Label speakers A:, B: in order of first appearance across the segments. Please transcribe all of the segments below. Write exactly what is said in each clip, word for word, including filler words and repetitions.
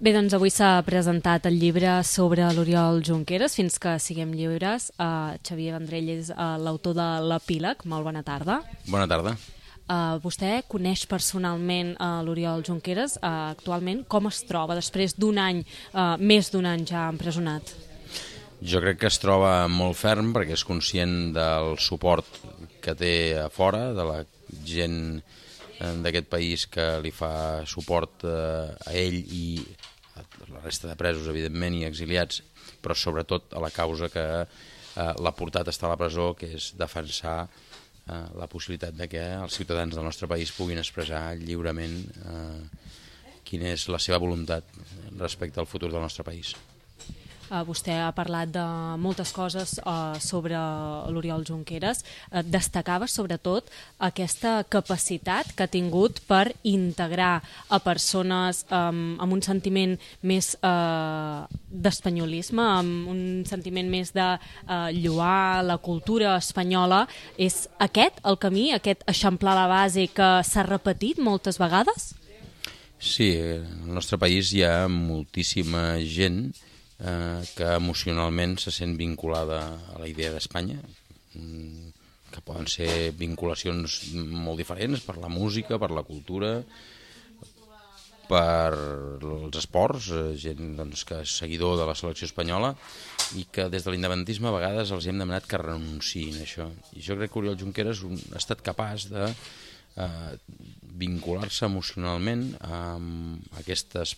A: Bé, doncs avui s'ha presentat el llibre sobre l'Oriol Junqueras, Fins que siguem lliures. Uh, Xavier Vendrell és uh, l'autor de l'Epíleg. Molt bona tarda.
B: Bona tarda.
A: Uh, vostè coneix personalment uh, l'Oriol Junqueras. Uh, actualment, com es troba després d'un any, uh, més d'un any ja empresonat?
B: Jo crec que es troba molt ferm perquè és conscient del suport que té a fora, de la gent d'aquest país que li fa suport a ell i a la resta de presos, evidentment, i exiliats, però sobretot a la causa que l'ha portat a estar a la presó, que és defensar la possibilitat de que els ciutadans del nostre país puguin expressar lliurement quina és la seva voluntat respecte al futur del nostre país.
A: Uh, vostè ha parlat de moltes coses uh, sobre l'Oriol Junqueras. Uh, destacava sobretot aquesta capacitat que ha tingut per integrar a persones um, amb un sentiment més uh, d'espanyolisme, amb un sentiment més de uh, lloar la cultura espanyola. És aquest el camí, aquest eixamplar la base que s'ha repetit moltes vegades?
B: Sí, al nostre país hi ha moltíssima gent que emocionalment se sent vinculada a la idea d'Espanya, que poden ser vinculacions molt diferents per la música, per la cultura, per els esports, gent doncs, que és seguidor de la selecció espanyola i que des de l'independentisme a vegades els hem demanat que renunciïn a això. I jo crec que Oriol Junqueras ha estat capaç de eh, vincular-se emocionalment amb aquestes,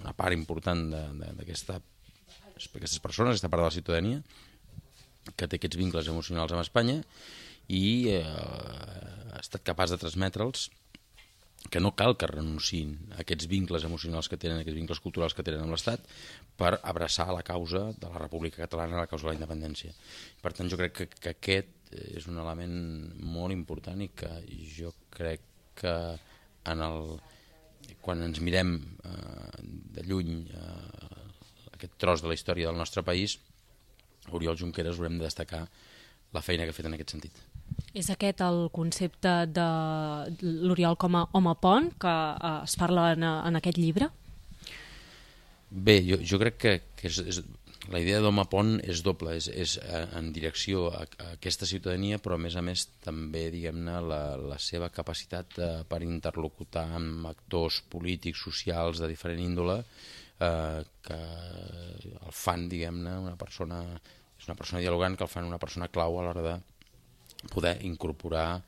B: una part important d'aquesta aquestes persones, aquesta part de la ciutadania que té aquests vincles emocionals amb Espanya i eh, ha estat capaç de transmetre'ls que no cal que renunciïn a aquests vincles emocionals que tenen, aquests vincles culturals que tenen amb l'Estat per abraçar la causa de la República Catalana, la causa de la independència. Per tant, jo crec que, que aquest és un element molt important i que jo crec que en el, quan ens mirem eh, de lluny eh, aquest tros de la història del nostre país, Oriol Junqueras haurem de destacar la feina que ha fet en aquest sentit.
A: És aquest el concepte de l'Oriol com a home pont que eh, es parla en, en aquest llibre?
B: Bé, jo, jo crec que, que és, és, la idea d'home pont és doble, és, és en direcció a, a aquesta ciutadania, però a més a més també, diguem-ne, la, la seva capacitat eh, per interlocutar amb actors polítics, socials de diferent índole, Eh, que el fan, diguem-ne, una persona, és una persona dialogant, que el fan una persona clau a l'hora de poder incorporar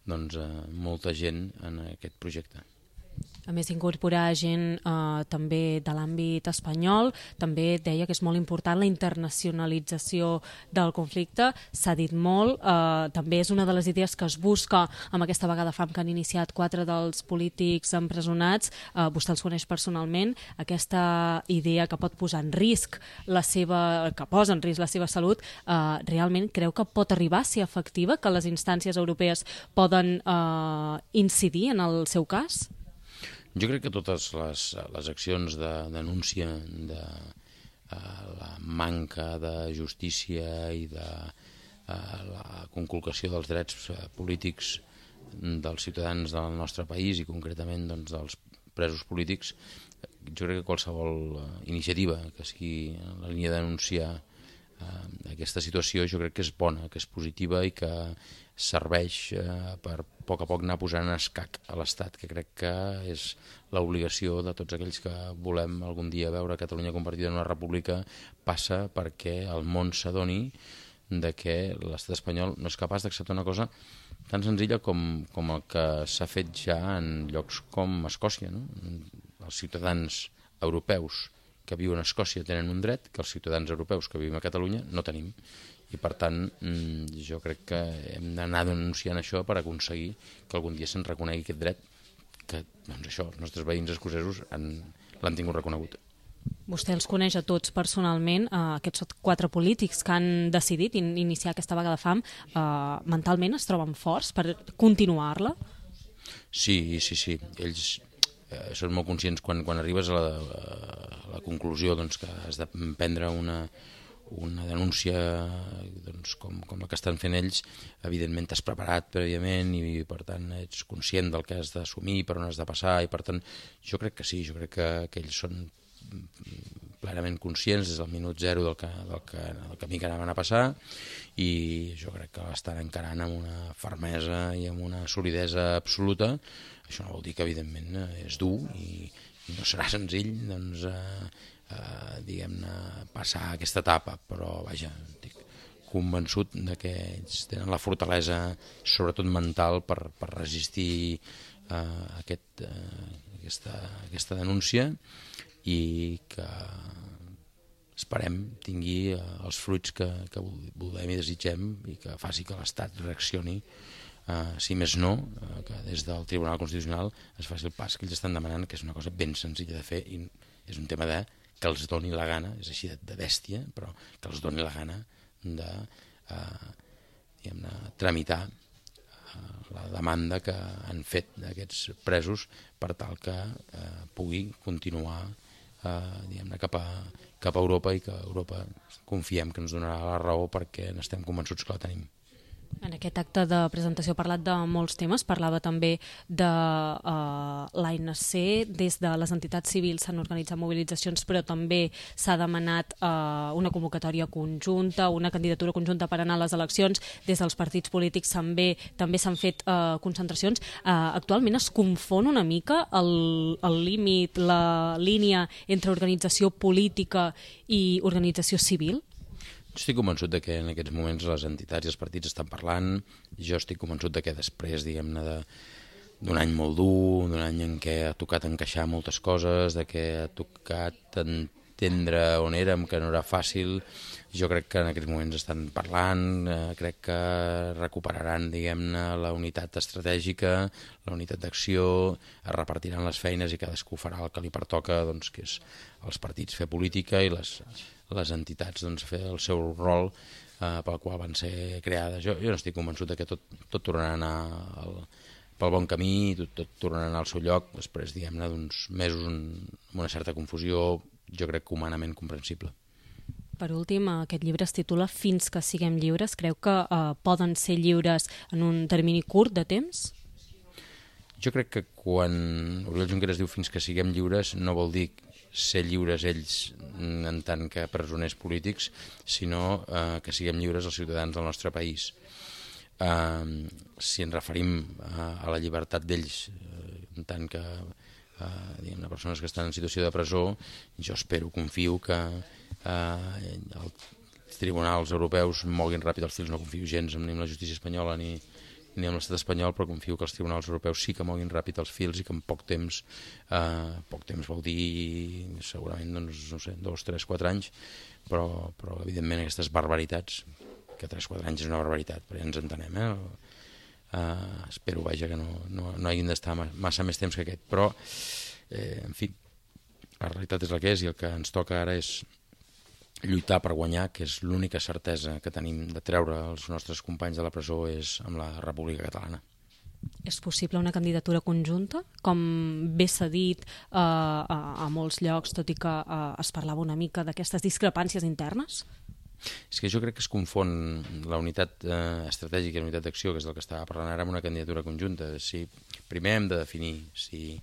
B: doncs, eh, molta gent en aquest projecte.
A: A més d'incorporar gent eh, també de l'àmbit espanyol, també deia que és molt important la internacionalització del conflicte, s'ha dit molt, eh, també és una de les idees que es busca amb aquesta vaga de fam que han iniciat quatre dels polítics empresonats, eh, vostè els coneix personalment, aquesta idea que pot posar en risc la seva, que posa en risc la seva salut, eh, realment creu que pot arribar a ser efectiva, que les instàncies europees poden eh, incidir en el seu cas?
B: Jo crec que totes les, les accions de denúncia de uh, la manca de justícia i de uh, la conculcació dels drets uh, polítics dels ciutadans del nostre país i concretament doncs, dels presos polítics, jo crec que qualsevol uh, iniciativa que sigui en la línia de denunciar uh, aquesta situació jo crec que és bona, que és positiva i que serveix eh, per a poc a poc anar posant en escac a l'Estat, que crec que és l'obligació de tots aquells que volem algun dia veure Catalunya convertida en una república, passa perquè el món s'adoni de que l'estat espanyol no és capaç d'acceptar una cosa tan senzilla com, com el que s'ha fet ja en llocs com Escòcia, no? Els ciutadans europeus que viuen a Escòcia tenen un dret que els ciutadans europeus que vivim a Catalunya no tenim. I per tant jo crec que hem d'anar denunciant això per aconseguir que algun dia se'n reconegui aquest dret que doncs això, els nostres veïns escocesos l'han tingut reconegut.
A: Vostè els coneix a tots personalment, eh, aquests quatre polítics que han decidit in iniciar aquesta vaga de fam, eh, mentalment es troben forts per continuar-la?
B: Sí, sí, sí. Ells eh, són molt conscients quan, quan arribes a la, a la conclusió doncs, que has de prendre una una denúncia doncs, com, com la que estan fent ells, evidentment t'has preparat prèviament i per tant ets conscient del que has d'assumir, per on has de passar i per tant jo crec que sí, jo crec que, que ells són plenament conscients des del minut zero del, que, del, que, del camí que anaven a passar, i jo crec que l'estan encarant amb una fermesa i amb una solidesa absoluta. Això no vol dir que, evidentment, és dur i, i no serà senzill, doncs, eh, eh, diguem-ne, passar aquesta etapa, però, vaja, estic convençut de que ells tenen la fortalesa, sobretot mental, per, per resistir eh, aquest, eh, aquesta, aquesta denúncia, i que esperem tingui els fruits que, que volem i desitgem, i que faci que l'Estat reaccioni, eh, si més no, eh, que des del Tribunal Constitucional es faci el pas que ells estan demanant, que és una cosa ben senzilla de fer, i és un tema de que els doni la gana, és així de, de bèstia, però que els doni la gana de eh, diguem-ne, tramitar la demanda que han fet d'aquests presos per tal que eh, pugui continuar eh, diguem-ne, cap a, cap a Europa, i que Europa confiem que ens donarà la raó, perquè n'estem convençuts que la tenim.
A: En aquest acte de presentació ha parlat de molts temes, parlava també de uh, l'A N C, des de les entitats civils s'han organitzat mobilitzacions, però també s'ha demanat uh, una convocatòria conjunta, una candidatura conjunta per anar a les eleccions, des dels partits polítics també també s'han fet uh, concentracions. Uh, actualment es confon una mica el, el límit, la línia entre organització política i organització civil?
B: Estic convençut de que en aquests moments les entitats i els partits estan parlant. Jo estic convençut de que després, diguem-ne, d'un any molt dur, d'un any en què ha tocat encaixar moltes coses, de que ha tocat entendre on érem, que no era fàcil, jo crec que en aquests moments estan parlant, eh, crec que recuperaran, diguem-ne, la unitat estratègica, la unitat d'acció, es repartiran les feines i cadascú farà el que li pertoca, doncs, que és els partits fer política i les... les entitats, doncs, fer el seu rol eh, pel qual van ser creades. Jo, jo no estic convençut que tot, tot tornarà a anar al, pel bon camí, tot, tot tornarà a anar al seu lloc, després, diguem-ne, d'uns mesos amb una certa confusió, jo crec que humanament comprensible.
A: Per últim, aquest llibre es titula Fins que siguem lliures. Creu que eh, poden ser lliures en un termini curt de temps?
B: Jo crec que quan Oriol Junqueras diu fins que siguem lliures no vol dir ser lliures ells en tant que presoners polítics, sinó eh, que siguem lliures els ciutadans del nostre país. Eh, si ens referim a, a la llibertat d'ells eh, en tant que eh, diguem-ne, persones que estan en situació de presó, jo espero, confio que eh, els tribunals europeus moguin ràpid els fils. No confio gens ni en la justícia espanyola ni ni amb l'estat espanyol, però confio que els tribunals europeus sí que moguin ràpid els fils i que en poc temps, eh, poc temps vol dir segurament, doncs, no sé, dos, tres, quatre anys, però, però evidentment aquestes barbaritats, que tres, quatre anys és una barbaritat, però ja ens entenem, eh? Eh, espero, vaja, que no, no, no hagin d'estar massa més temps que aquest, però, eh, en fi, la realitat és la que és, i el que ens toca ara és lluitar per guanyar, que és l'única certesa que tenim de treure els nostres companys de la presó, és amb la República Catalana.
A: És possible una candidatura conjunta? Com bé s'ha dit eh, a, a molts llocs, tot i que eh, es parlava una mica d'aquestes discrepàncies internes?
B: És que jo crec que es confon la unitat eh, estratègica i la unitat d'acció, que és del que estava parlant ara, amb una candidatura conjunta. Si, primer hem de definir si...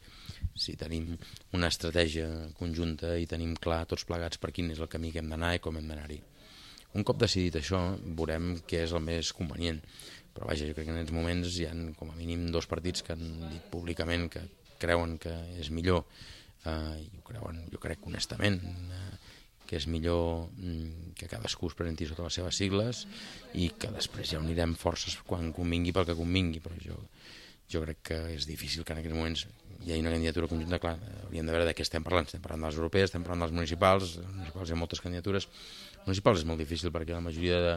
B: si tenim una estratègia conjunta i tenim clar tots plegats per quin és el camí que hem d'anar i com hem d'anar-hi. Un cop decidit això, veurem què és el més convenient. Però vaja, jo crec que en aquests moments hi ha com a mínim dos partits que han dit públicament que creuen que és millor, eh, i ho creuen, jo crec honestament, eh, que és millor mm, que cadascú es presenti sota les seves sigles i que després ja unirem forces quan convingui pel que convingui, però jo, jo crec que és difícil que en aquests moments hi ha una candidatura conjunta. Clar, hauríem de veure de què estem parlant. Estem parlant de les europees, estem parlant dels municipals. Els municipals hi ha moltes candidatures. Municipals és molt difícil perquè la majoria de,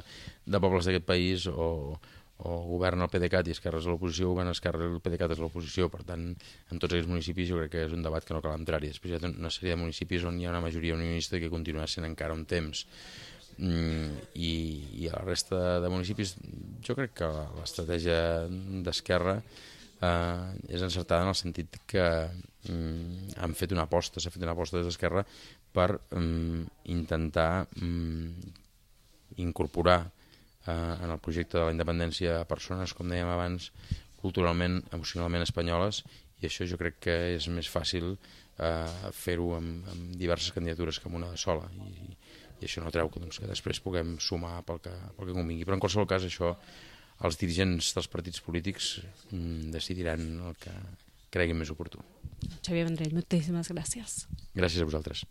B: de pobles d'aquest país o, o governa el PDeCAT i Esquerra és l'oposició, o governa Esquerra i el PDeCAT és l'oposició. Per tant, en tots aquests municipis jo crec que és un debat que no cal entrar-hi. Després hi ha una sèrie de municipis on hi ha una majoria unionista que continuarà sent encara un temps. Mm, i, i a la resta de municipis jo crec que l'estratègia d'Esquerra Uh, és encertada en el sentit que um, han fet una aposta, s'ha fet una aposta des d'Esquerra per um, intentar um, incorporar uh, en el projecte de la independència persones, com dèiem abans, culturalment, emocionalment espanyoles, i això jo crec que és més fàcil eh, fer-ho amb, amb diverses candidatures que amb una sola, i, i això no treu que, doncs, que després puguem sumar pel que, pel que convingui. Però en qualsevol cas això els dirigents dels partits polítics mm, decidiran el que creguin més oportú.
A: Xavier Vendrell, moltíssimes gràcies.
B: Gràcies a vosaltres.